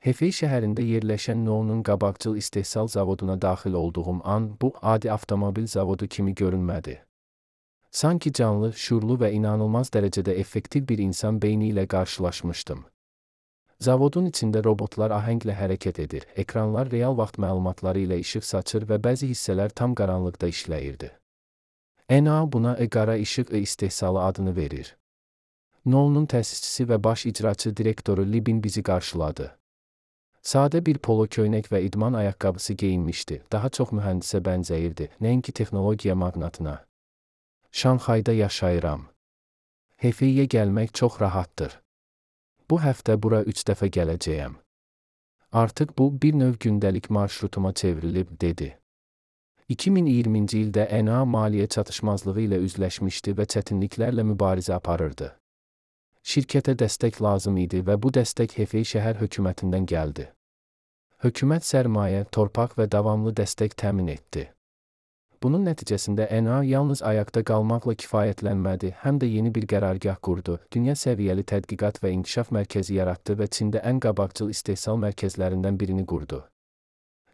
Hefei şəhərində yerləşən NIO'nun qabaqcıl istehsal zavoduna daxil olduğum an bu adi avtomobil zavodu kimi görünmədi. Sanki canlı, şuurlu və inanılmaz dərəcədə effektiv bir insan beyni ilə qarşılaşmışdım. Zavodun içində robotlar ahənglə hərəkət edir, ekranlar real vaxt məlumatları ilə işıq saçır və bəzi hissələr tam qaranlıqda işləyirdi. NA buna qara işıq istehsalı adını verir. NIO'nun təsisçisi və baş icraçı direktoru Libin bizi qarşıladı. Sadə bir polo köynək və idman ayaqqabısı geyinmişdi, daha çox mühəndisə bənzəyirdi, nəinki texnologiya maqnatına. Şanxayda yaşayıram. Hefeiyə gəlmək çox rahatdır. Bu həftə bura 3 dəfə gələcəyəm. Artıq bu bir növ gündəlik marşrutuma çevrilib, dedi. 2020-ci ildə NA maliyyə çatışmazlığı ilə üzləşmişdi və çətinliklərlə mübarizə aparırdı. Şirkətə dəstək lazım idi və bu dəstək Hefei şəhər hökumətindən gəldi. Hökumət sərmayə, torpaq və davamlı dəstək təmin etdi. Bunun nəticəsində NA yalnız ayaqda qalmaqla kifayətlənmədi, həm də yeni bir qərargah qurdu, dünya səviyyəli tədqiqat və inkişaf mərkəzi yaratdı və Çində ən qabaqcıl istehsal mərkəzlərindən birini qurdu.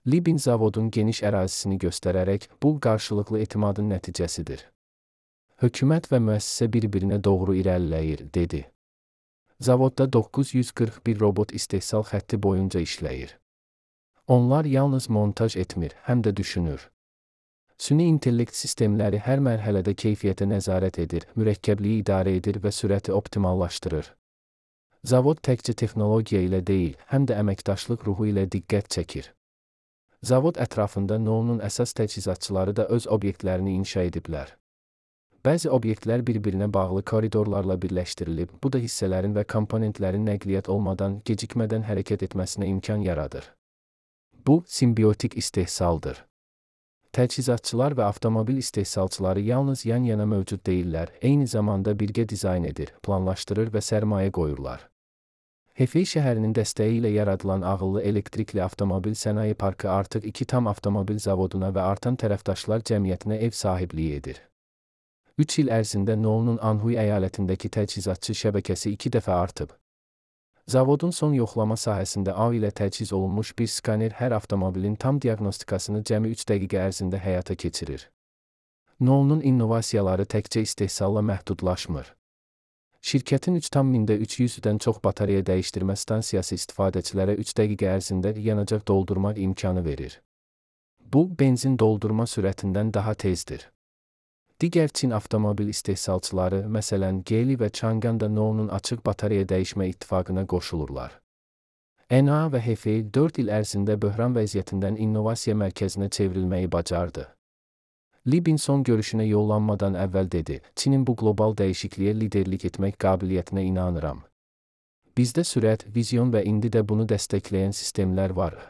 Libin zavodun geniş ərazisini göstərərək, bu qarşılıqlı etimadın nəticəsidir. Hökumət və müəssisə bir-birinə doğru irəliləyir, dedi. Zavodda 941 robot istehsal xətti boyunca işləyir. Onlar yalnız montaj etmir, həm də düşünür. Süni intellekt sistemləri hər mərhələdə keyfiyyətə nəzarət edir, mürəkkəbliyi idarə edir və sürəti optimallaşdırır. Zavod təkcə texnologiya ilə deyil, həm də əməkdaşlıq ruhu ilə diqqət çəkir. Zavod ətrafında NIO'nun əsas təchizatçıları da öz obyektlərini inşa ediblər. Bəzi obyektlər bir-birinə bağlı koridorlarla birləşdirilib, bu da hissələrin və komponentlərin nəqliyyat olmadan, gecikmədən hərəkət etməsinə imkan yaradır. Bu, simbiotik istehsaldır. Təchizatçılar və avtomobil istehsalçıları yalnız yan-yana mövcud deyillər, eyni zamanda birgə dizayn edir, planlaşdırır və sərmayə qoyurlar. Hefei şəhərinin dəstəyi ilə yaradılan ağıllı elektrikli avtomobil sənaye parkı artıq 2 tam avtomobil zavoduna və artan tərəfdaşlar cəmiyyətinə ev sahibliyi edir. 3 il ərzində NIO'nun Anhui əyalətindəki təchizatçı şəbəkəsi 2 dəfə artıb. Zavodun son yoxlama sahəsində A ilə təchiz olunmuş bir skaner hər avtomobilin tam diaqnostikasını cəmi 3 dəqiqə ərzində həyata keçirir. NIO'nun innovasiyaları təkcə istehsalla məhdudlaşmır. Şirkətin 3,300-dən çox batareya dəyişdirmə stansiyası istifadəçilərə 3 dəqiqə ərzində yanacaq doldurmaq imkanı verir. Bu, benzin doldurma sürətindən daha tezdir. Digər Çin avtomobil istehsalçıları, məsələn Geely və Changan da NIO'nun açıq batareya dəyişmə ittifaqına qoşulurlar. NA və Hefei 4 il ərzində böhran vəziyyətindən innovasiya mərkəzinə çevrilməyi bacardı. Libin son görüşünə yollanmadan əvvəl dedi, Çinin bu qlobal dəyişikliyə liderlik etmək qabiliyyətinə inanıram. Bizdə sürət, vizyon və indi də bunu dəstəkləyən sistemlər var.